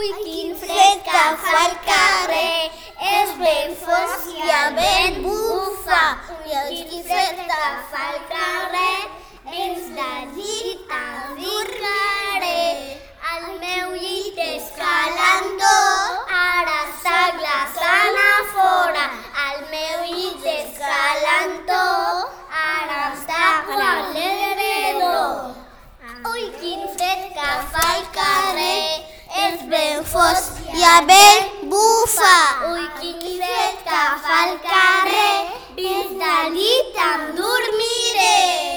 Ui, quin fred que fa al carrer, és ben fosc i el vent bufa. Ui, quin fred que fa al carrer, és de llit endormiré. El meu llit és calentó, ara està glaçant a fora. El meu llit és calentó, ara està quan l'heredor. Ui, quin fred que fa al carrer, és ben fosc i el vent bufa. Ui, quin fred que fa al carrer, dins del llit em dormiré.